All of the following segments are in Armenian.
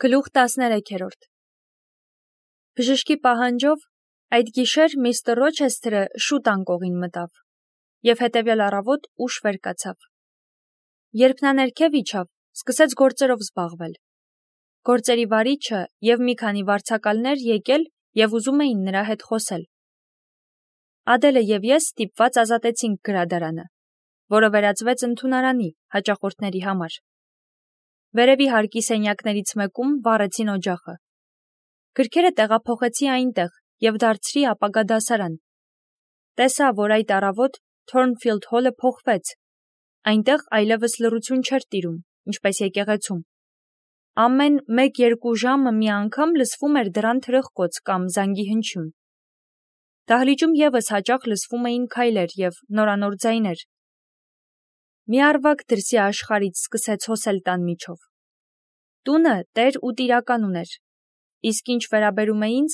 Գլուխ 13 Բժշկի պահանջով այդ գիշեր միստր Ռոչեսթերը շուտ անկողին մտավ և հետևյալ առավոտ ուշ վեր կացավ։ Երբ նա ներքև իջավ, սկսեց գործերով զբաղվել։ Գործերի վարիչը և մի քանի վարձակալներ եկել և ուզում էին նրա հետ խոսել։ Ադելը և ես ստիպված ազատեցինք գրադարանը, որը վերածվեց ընդունարանի հաճախորդների համար։ Վերևի հարկի սենյակներից մեկում վառեցին օջախը։ Գրքերը տեղափոխեցի այնտեղ և դարձրի ապագա դասարան։ Տեսա, որ այդ առավոտ Թորնֆիլդ հոլը փոխվեց։ Այնտեղ այլևս լռություն չէր տիրում, ինչպես եկեղեցում։ Ամեն 1-2 ժամը մի անգամ լսվում էր դռան թրխկոց կամ զանգի հնչյուն։ Դահլիճում ևս հաճախ լսվում էին քայլեր և նորանոր ձայներ։ Մի առվակ դրսի աշխարհից սկսեց հոսել տան միջով։ Տունը տեր ու տիրական ուներ, իսկ ինչ վերաբերում է ինձ,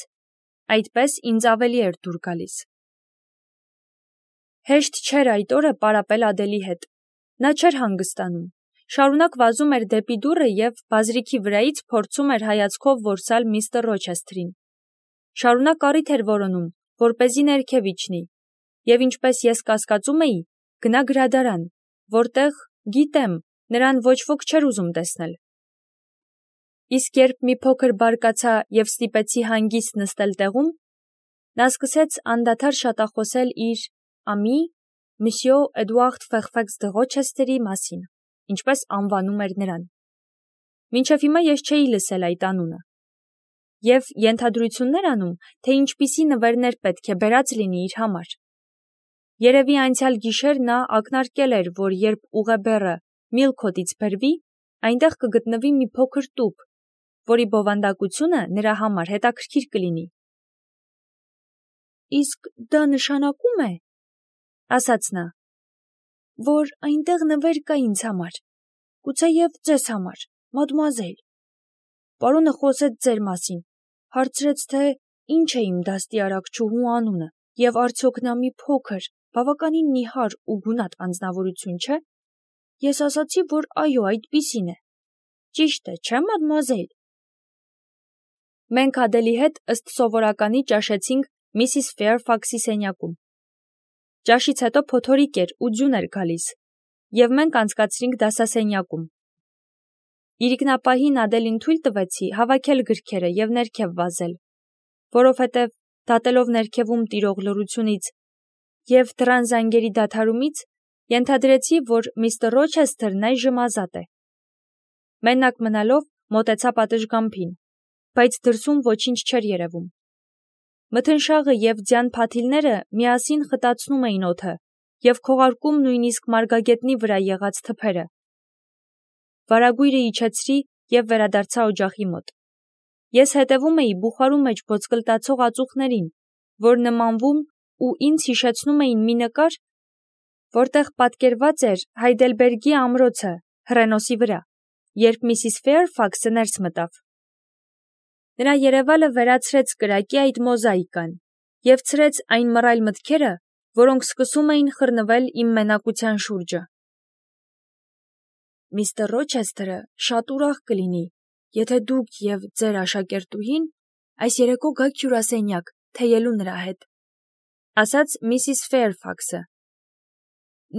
այդպես ինձ ավելի էր դուր գալիս։ Հեշտ չէր այդ օրը պարապել Ադելի հետ։ Նա չէր հանգստանում, շարունակ վազում էր դեպի դուռը և բազրիքի վրայից փորձում էր հայացքով որսալ միստր Ռոչեսթերին։ Շարունակ առիթ էր որոնում, որպեսզի ներքև իջնի, և ինչպես ես կասկածում էի, գնա գրադարան, որտեղ, գիտեմ, նրան ոչ ոք չէր ուզում տեսնել։ Իսկ երբ մի փոքր բարկացա և ստիպեցի հանգիստ նստել տեղում, նա սկսեց անդադար շատախոսել իր ամի Մսյո Էդուարդ Ֆեղֆեքս դը Ռոչեսթերի մասին, ինչպես անվանում էր նրան։ Մինչև հիմա ես չէի լսել այդ անունը և ենթադրություններ անում, թե ինչպիսի նվերներ պետք է բերած լինի իր համար։ Երևի անցյալ գիշեր նա ակնարկել էր, որ երբ ուղեբեռը Միլքոթից բերվի, այնտեղ կգտնվի մի փոքր տուփ, որի բովանդակությունը նրա համար հետաքրքիր կլինի։ Իսկ դա նշանակում է, ասաց նա, որ այնտեղ նվեր կա ինձ համար, գուցեև ձեզ համար, մադմուազել։ Պարոնը խոսեց ձեր մասին, հարցրեց, թե ինչ է իմ դաստիարակչուհու անունը, և արդյոք նա մի փոքր, բավականին նիհար ու գունատ անձնավորություն չէ։ Ես ասացի, որ այո, այդպիսին է։ Ճիշտ է, չէ՞, մադմուազել։ Մենք Ադելի հետ ըստ սովորականի ճաշեցինք Միսիս Ֆեյրֆաքսի սենյակում։ Ճաշից հետո փոթորիկ էր ու ձյուն էր գալիս, և մենք անցկացրինք դասասենյակում։ Իրիկնապահին Ադելին թույլ տվեցի հավաքել գրքերը և ներքև վազել, որովհետև, դատելով ներքևում տիրող լռությունից և դռան զանգերի դադարումից, ենթադրեցի, որ միստր Ռոչեսթերն այժմ ազատ է։ Մենակ մնալով մոտեցա պատշգամբին, բայց դրսում ոչինչ չէր երևում։ Մթնշաղը և ձյան փաթիլները միասին խտացնում էին օդը և քողարկում նույնիսկ մարգագետնի վրա եղած թփերը։ Վարագույրը իջեցրի և վերադարձա օջախի մոտ։ Ես հետևում էի բուխարու մեջ ոսկլտացող ածուխներին, որ նմանվում ու ինձ հիշեցնում էին մի նկար, որտեղ պատկերված էր Հայդելբերգի ամրոցը հռենոսի վրա, երբ Միսիս Ֆեյրֆաքսը ներս մտավ։ Նրա երևալը վերացրեց կրակի այդ մոզաիկան և ցրեց այն մռայլ մտքերը, որոնք սկսում էին խռնվել իմ մենակության շուրջը։ Միստր Ռոչեսթերը շատ ուրախ կլինի, եթե դուք և ձեր աշակերտուհին այս երեկո գաք հյուրասենյակ թեյելու նրա հետ, ասաց Միսիս Ֆեյրֆաքսը։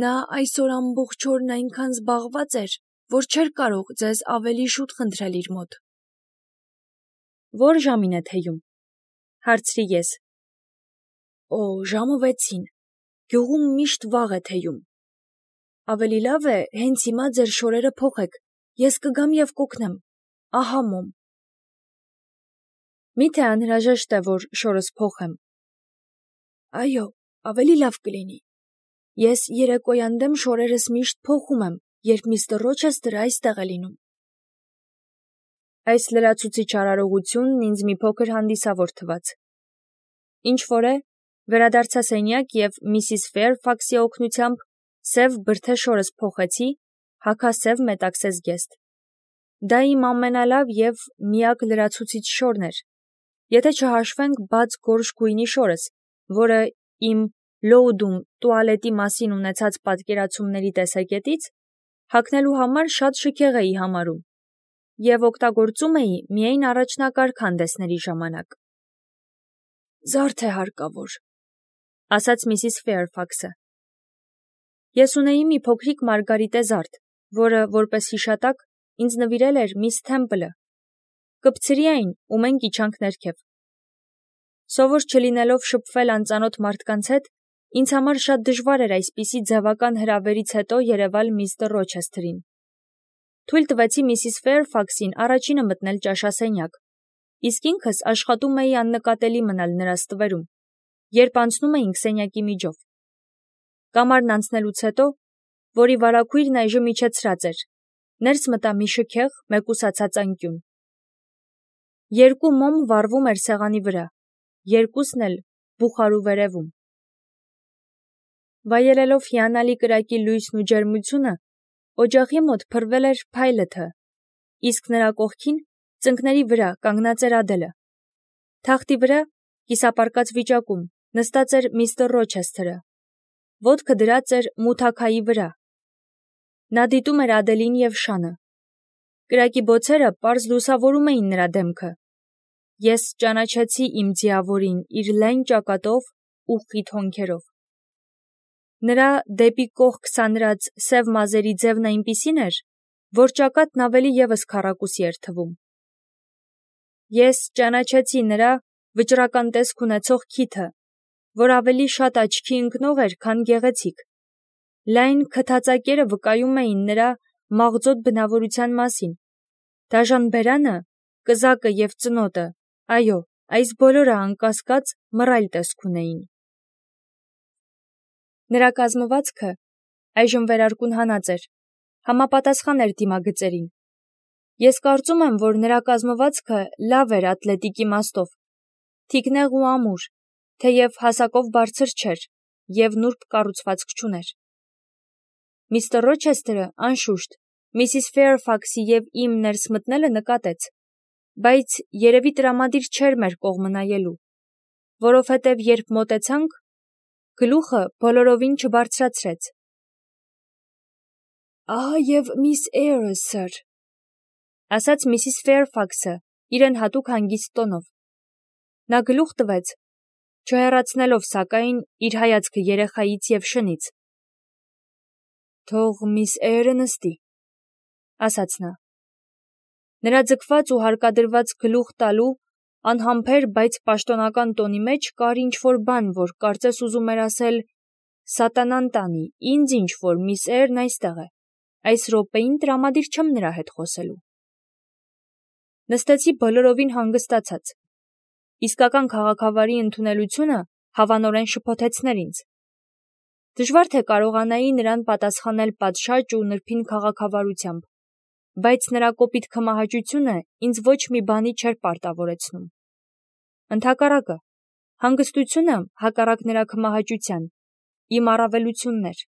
Նա այսօր ամբողջ օրն այնքան զբաղված էր, որ չէր կարող ձեզ ավելի շուտ խնդրել իր մոտ։ Ո՞ր ժամին է թեյում, հարցրի ես։ Օ, ժամը 6-ին, գյուղում միշտ վաղ է թեյում։ Ավելի լավ է հենց հիմա ձեր շորերը փոխեք, ես կգամ և կօգնեմ, ահա մոմ։ Մի՞թե անհրաժեշտ է, որ շորս փոխեմ։ Այո, ավելի լավ կլինի։ Ես երեկոյան դեմ շորերս միշտ փոխում եմ, երբ միստր Ռոչեսթերը այստեղ է լինում։ Այս լրացուցիչ արարողությունն ինձ մի փոքր հանդիսավոր թվաց։ Ինչ-որ է, վերադարձա սենյակ և Միսիս Ֆեյրֆաքսի օգնությամբ սև բրդե շորս փոխեցի, հագասև մետաքսե զգեստ։ Դա իմ ամենալավ և միակ լրացուցիչ շորն էր, եթե չհաշվենք բաց գորշ գույնի շորս, որը իմ Լոուդում տուալետի մասին ունեցած պատկերացումների տեսակետից հագնելու համար շատ շքեղ էի համարում։ և օգտագործում էի միայն առաջնակարգ հանդեսների ժամանակ։ Զարդ է հարկավոր, ասաց Միսիս Ֆեյրֆաքսը։ Ես ունեի մի փոքրիկ մարգարիտե զարդ, որը, որպես հիշատակ, ինձ նվիրել էր միս Թեմպլը։ Կպցրի այն ու մենք իջանք ներքև։ Սովոր չլինելով շփվել անծանոթ մարդկանց հետ, ինձ համար շատ դժվար էր այսպիսի ձևական հրավերից հետո երևալ միստր Ռոչեսթերին։ Թույլ տվեցի Միսիս Ֆեյրֆաքսին առաջինը մտնել ճաշասենյակ, իսկ ինքս աշխատում էի աննկատելի մնալ նրա ստվերում, երբ անցնում էինք սենյակի միջով։ Կամարն անցնելուց հետո, որի վարագույրն այժմ իջեցրած էր, ներս մտա մի շքեղ, մեկուսացած անկյուն։ Երկու մոմ վառվում էր սեղանի վրա, երկուսն էլ բուխարու վերևում։ Վայելելով հիանալի կրակի լույսն ու ջերմությունը, օջախի մոտ փռվել էր Փայլըթը, իսկ նրա կողքին, ծնկների վրա, կանգնած էր Ադելը։ Թախտի վրա, կիսապարկած վիճակում, նստած էր միստր Ռոչեսթերը, ոտքը դրած էր մութաքայի վրա։ Նա դիտում էր Ադելին և Շանը։ Կրակի բոցերը պարզ լուսավորում էին նրա դեմքը։ Ես ճանաչեցի իմ ձիավորին իր լայն ճակատով ու խիտ հոնքերով։ Նրա դեպի կողք սանրած սև մազերի ձևն այնպիսին էր, որ ճակատն ավելի ևս քառակուսի էր թվում։ Ես ճանաչեցի նրա վճռական տեսք ունեցող քիթը, որ ավելի շատ աչքի ընկնող էր, քան գեղեցիկ։ Լայն քթածակերը վկայում էին նրա մաղձոտ բնավորության մասին։ Դաժան բերանը, կզակը և ծնոտը, այո, այս բոլորը անկասկած մռայլ տեսք ունեին։ Նրա կազմվածքը այժմ վերարկուն հանած էր, համապատասխան էր դիմագծերին։ Ես կարծում եմ, որ նրա կազմվածքը լավ էր ատլետիկ իմաստով, թիկնեղ ու ամուր, թեև հասակով բարձր չէր և նուրբ կառուցվածք չուներ։ Միստր Ռոչեսթերը, անշուշտ, Միսիս Ֆեյրֆաքսի և իմ ներս մտնելը նկատեց, բայց երևի տրամադիր չէր մեր կողմը նայելու, որովհետև երբ մոտեցանք, գլուխը բոլորովին չբարձրացրեց։ Ահա և միս Էյրը, սըր, ասաց Միսիս Ֆեյրֆաքսը իրեն հատուկ հանգիստ տոնով։ Նա գլուխ տվեց, չհեռացնելով, սակայն, իր հայացքը երեխայից և Շնից։ Թող միս Էյրը նստի, ասաց նա։ Նրա ձգված ու հարկադրված գլուխ տալու անհամբեր, բայց պաշտոնական տոնի մեջ կար ինչ-որ բան, որ կարծես ուզում էր ասել. «Սատանան տանի, ինձ ինչ-որ միս Էյրն այստեղ է, այս րոպեին տրամադիր չեմ նրա հետ խոսելու»։ Նստեցի բոլորովին հանգստացած։ Իսկական քաղաքավարի ընդունելությունը հավանորեն շփոթեցներ ինձ։ Դժվար թե կարողանայի նրան պատասխանել պատշաճ ու նրբին քաղաքավարությամբ, բայց նրա կոպիտ քմահաճությունը ինձ ոչ մի բանի չէր պարտավորեցնում։ Ընդհակառակը, հանգստությունը, հակառակ նրա քմահաճության, իմ առավելությունն էր։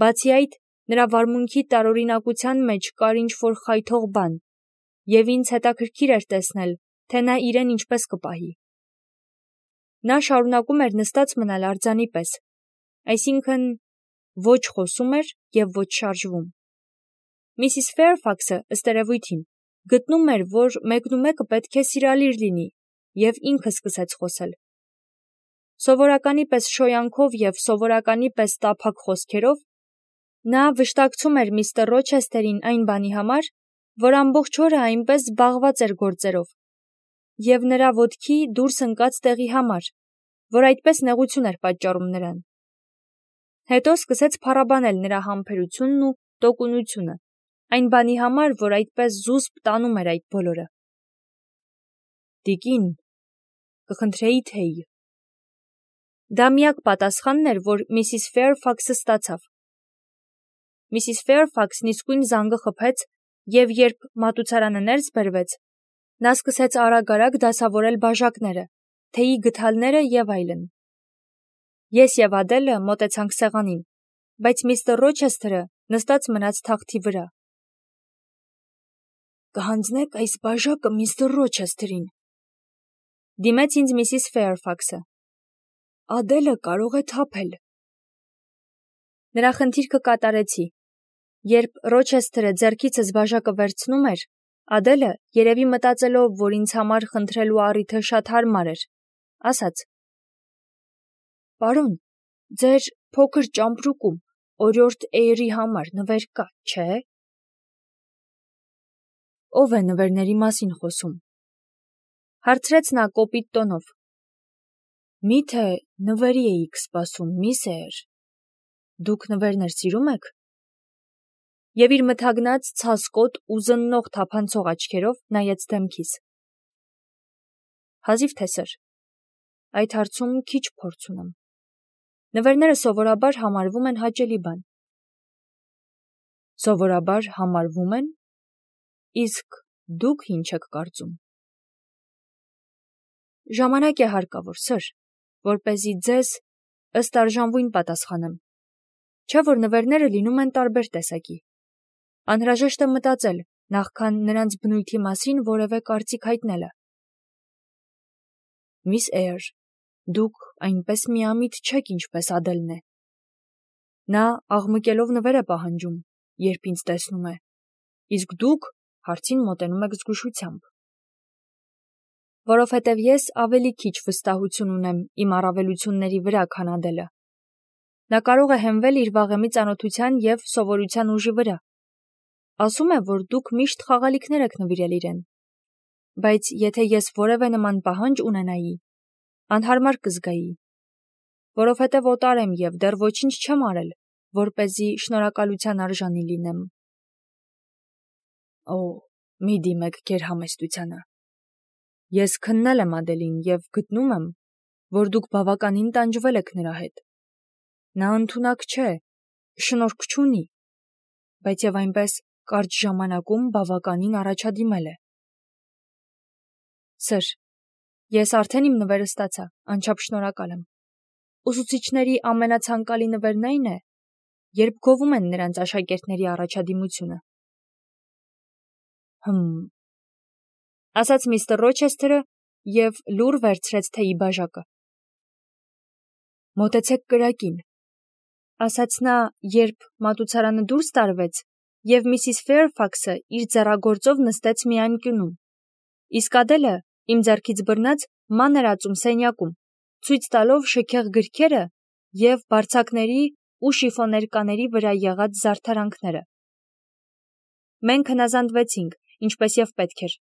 Բացի այդ, նրա վարմունքի տարօրինակության մեջ կար ինչ-որ խայթող բան, և ինձ հետաքրքիր էր տեսնել, թե նա իրեն ինչպես կպահի։ Նա շարունակում էր նստած մնալ արձանի պես, այսինքն ոչ խոսում էր և ոչ շարժվում։ Միսիս Ֆեյրֆաքսը, ըստ երևույթին, գտնում էր, որ մեկնումեկը պետք է սիրալիր լինի, և ինքը սկսեց խոսել։ Սովորականի պես շոյանքով և սովորականի պես տափակ խոսքերով նա վշտակցում էր միստր Ռոչեսթերին այն բանի համար, որ ամբողջ օրը այնպես զբաղված էր գործերով, և նրա ոտքի դուրս ընկած տեղի համար, որ այդպես նեղություն էր պատճառում նրան։ Հետո սկսեց փառաբանել նրա համբերությունն ու տոկունությունը, այն բանի համար, որ այդպես զուսպ տանում էր այդ բոլորը։ Տիկին, կխնդրեի թեյ։ Դա միակ պատասխանն էր, որ Միսիս Ֆեյրֆաքսը ստացավ։ Միսիս Ֆեյրֆաքսն իսկույն զանգը խփեց, և երբ մատուցարանը ներս բերվեց, նա սկսեց արագ-արագ դասավորել բաժակները, թեյի գդալները և այլն։ Ես և Ադելը մոտեցանք սեղանին, բայց միստր Ռոչեսթերը նստած մնաց թախտի վրա։ Կհանձնեք այս բաժակը միստր Ռոչեսթերին, դիմեց ինձ Միսիս Ֆեյրֆաքսը։ Ադելը կարող է թափել։ Նրա խնդիրքը կատարեցի։ Երբ Ռոչեսթերը ձեռքիցս բաժակը վերցնում էր, Ադելը, երևի մտածելով, որ ինձ համար խնդրելու առիթը շատ հարմար էր, ասաց. «Պարոն, ձեր փոքր ճամպրուկում օրիորդ Էյրի համար նվեր կա, չէ՞»։ «Ո՞վ է նվերների մասին խոսում», հարցրեց նա կոպիտ տոնով։ «Մի՞թե նվերի էիք սպասում, միս Էյր։ Դուք նվերներ սիրում եք»։ Եվ իր մթագնած, ցասկոտ ու զննող թափանցող աչքերով նայեց դեմքիս։ Հազիվ թե սր, այդ հարցում քիչ փորձ ունեմ։ Նվերները սովորաբար համարվում են հաճելի բան։ Սովորաբար համարվում են, իսկ դուք ինչ եք կարծում։ Ժամանակ է հարկավոր, սր, որպեսզի ձեզ ըստ արժանվույն պատասխանեմ։ Չէ՞ որ նվերները լինում են տարբեր տեսակի։ Անհրաժեշտ է մտածել, նախքան նրանց բնույթի մասին որևէ կարծիք հայտնելը։ Միս Էյր, դուք այնպես միամիտ չեք, ինչպես Ադելն է։ Նա աղմկելով նվեր է պահանջում, երբ ինձ տեսնում է, իսկ դուք հարցին մոտենում եք զգուշությամբ։ Որովհետև ես ավելի քիչ վստահություն ունեմ իմ առավելությունների վրա, քան Ադելը։ Նա կարող է հենվել իր վաղեմի ծանոթության և սովորության ուժի վրա։ Ասում է, որ դուք միշտ խաղալիքներ եք նվիրել իրեն։ Բայց եթե ես որևէ նման պահանջ ունենայի, անհարմար կզգայի, որովհետև օտար եմ և դեռ ոչինչ չեմ արել, որպեսզի շնորհակալության արժանի լինեմ։ Օ, մի դիմեք գերհամեստությանը։ Ես քննել եմ Ադելին և գտնում եմ, որ դուք բավականին տանջվել եք նրա հետ։ Նա ընդունակ չէ, շնորհք չունի, բայց և այնպես կարճ ժամանակում բավականին առաջադիմել է։ Սր, ես արդեն իմ նվերը ստացա, անչափ շնորհակալ եմ։ Ուսուցիչների ամենացանկալի նվերն այն է, երբ գովում են նրանց աշակերտների առաջադիմությունը։ Ասաց միստր Ռոչեսթերը և լուռ վերցրեց թեյի բաժակը։ Մոտեցեք կրակին, ասաց նա, երբ մատուցարանը դուրս տարվեց, և միսիս Ֆեյրֆաքսը իր ձեռագործով նստեց մի անկյունում, իսկ Ադելը, իմ ձեռքից բռնած, ման էր ածում սենյակում, ցույց տալով շքեղ գրքերը և բարձակների ու շիֆոներկաների վրա եղած զարդարանքները։ Մենք հնազանդվեցինք, ինչպես և պետք էր։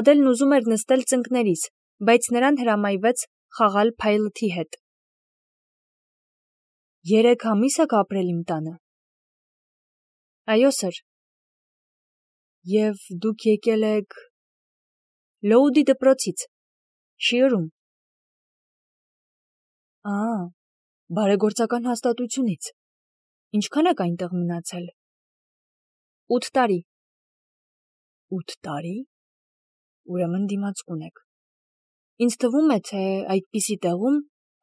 Ադելն ուզում էր նստել ծնկներիս, բայց նրան հրամայվեց խաղալ փայլթի հետ։ 3 ամիս եք ապրել իմ տանը։ Այո, սր։ Եվ դուք եկել եք Լոուդի դպրոցից, Շիըրում։ Բարեգործական հաստատությունից։ Ինչքան եք այնտեղ մնացել։ 8 տարի։ 8 տարի։ Ուրեմն դիմացկուն եք։ Ինձ թվում է, թե այդպիսի տեղում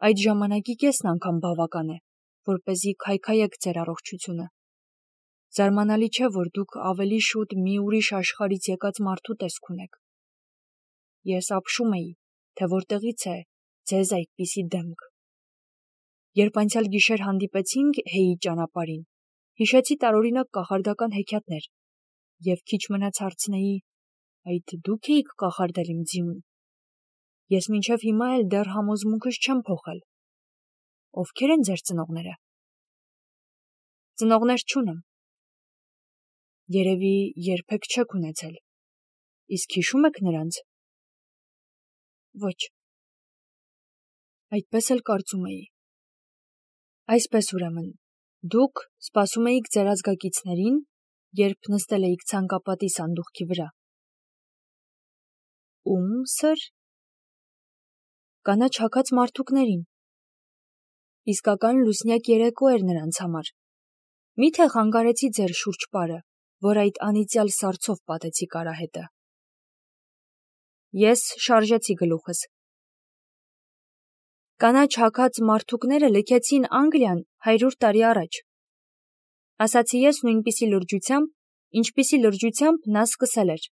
այդ ժամանակի կեսն անգամ բավական է, որպեսզի քայքայեք ձեր առողջությունը։ Զարմանալի չէ, որ դուք ավելի շուտ մի ուրիշ աշխարհից եկած մարդու տեսք ունեք։ Ես ապշում էի, թե որտեղից է ձեզ այդպիսի դեմք։ Երբ անցյալ գիշեր հանդիպեցինք Հեյի ճանապարհին, հիշեցի տարօրինակ կախարդական հեքիաթներ և քիչ մնաց հարցնեի. այդ դուք էիք կախարդել իմ ձիուն։ Ես մինչև հիմա էլ դեռ համոզմունքս չեմ փոխել։ Ովքեր են ձեր ծնողները։ Ծնողներ չունեմ։ Երևի երբեք չեք ունեցել։ Իսկ հիշում եք նրանց։ Ոչ։ Այդպես էլ կարծում էի։ Այսպես ուրեմն, դուք սպասում էիք ձեր ազգակիցներին, երբ նստել էիք ցանկապատի սանդուղքի վրա։ Ում, սր։ Կանաչ հագած մարդուկներին։ Իսկական լուսնյակ երեկո էր նրանց համար։ Մի՞թե խանգարեցի ձեր շուրջպարը, որ այդ անիծյալ սառցով պատեցիք արահետը։ Ես շարժեցի գլուխս։ Կանաչ հագած մարդուկները լքեցին Անգլիան 100 տարի առաջ։ Ասացի ես նույնպիսի լրջությամբ, ինչպիսի լրջությամբ նա սկսել էր։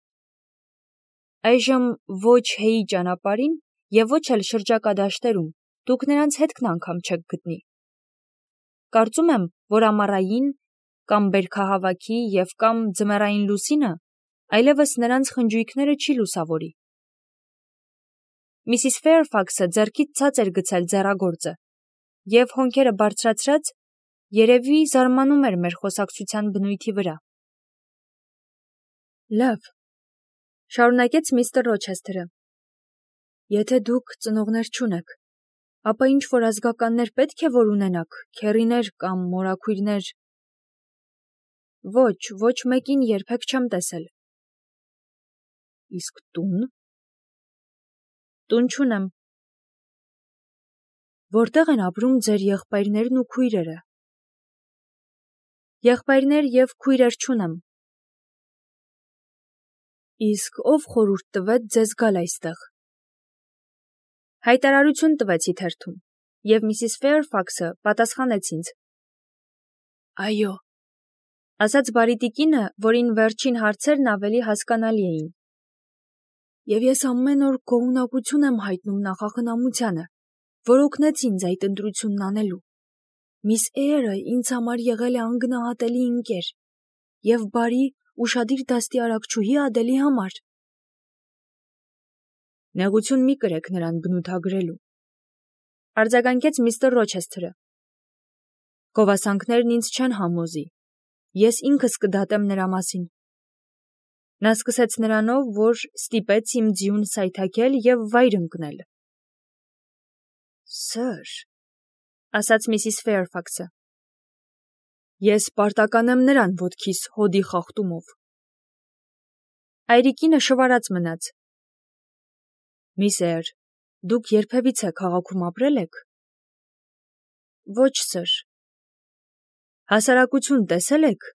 Այժմ ոչ Հեյի ճանապարհին և ոչ էլ շրջակա դաշտերում դուք նրանց հետքն անգամ չեք գտնի։ Կարծում եմ, որ ամառային կամ բերքահավաքի և կամ ձմեռային լուսինը այլևս նրանց խնջույքները չի լուսավորի։ Միսիս Ֆեյրֆաքսը ձեռքից ցած էր գցել ձեռագործը, և հոնքերը բարձրացրած, երևի զարմանում էր մեր խոսակցության բնույթի վրա։ Լավ, շարունակեց միստր Ռոչեսթերը, եթե դուք ծնողներ չունեք, ապա ինչ-որ ազգականներ պետք է որ ունենաք, քեռիներ կամ մորաքույրներ։ Ոչ մեկին երբեք չեմ տեսել։ Իսկ տուն։ Տուն չունեմ։ Որտեղ են ապրում ձեր եղբայրներն ու քույրերը։ Եղբայրներ և քույրեր չունեմ։ Իսկ ով խորհուրդ տվեց ձեզ գալ այստեղ։ Հայտարարություն տվեցի թերթում, և միսիս Ֆեյրֆաքսը պատասխանեց ինձ։ Այո, ասաց բարի տիկինը, որին վերջին հարցերն ավելի հասկանալի էին։ Եվ ես ամեն օր գոհունակություն եմ հայտնում նախախնամությանը, որ օգնեց ինձ այդ ընտրությունն անելու։ Միս Էյրը ինձ համար եղել է անգնահատելի ընկեր և բարի, ուշադիր դաստիարակչուհի Ադելի համար։ Նեղություն մի կրեք նրան բնութագրելու, արձագանքեց միստր Ռոչեսթերը։ Գովասանքներն ինձ չեն համոզի, ես ինքս կդատեմ նրա մասին։ Նա սկսեց նրանով, որ ստիպեց իմ ձիուն սայթաքել և վայր ընկնել։ Սըր, ասաց միսիս Ֆեյրֆաքսը, ես պարտական եմ նրան ոտքիս հոդի խախտումով։ Այրիկինը շվարած մնաց։ Միս Էյր, դուք երբևիցե քաղաքում ապրել եք։ Ոչ, սըր։ Հասարակություն տեսել եք։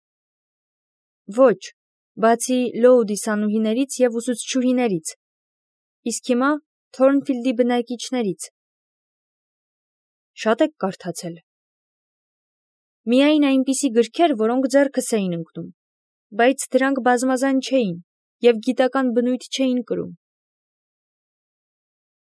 Ոչ, բացի Լոուդի սանուհիներից և ուսուցչուհիներից, իսկ հիմա Թորնֆիլդի բնակիչներից։ Շատ եք կարդացել։ Միայն այնպիսի գրքեր, որոնք ձեռքս էին ընկնում, բայց դրանք բազմազան չէին և գիտական բնույթ չէին կրում։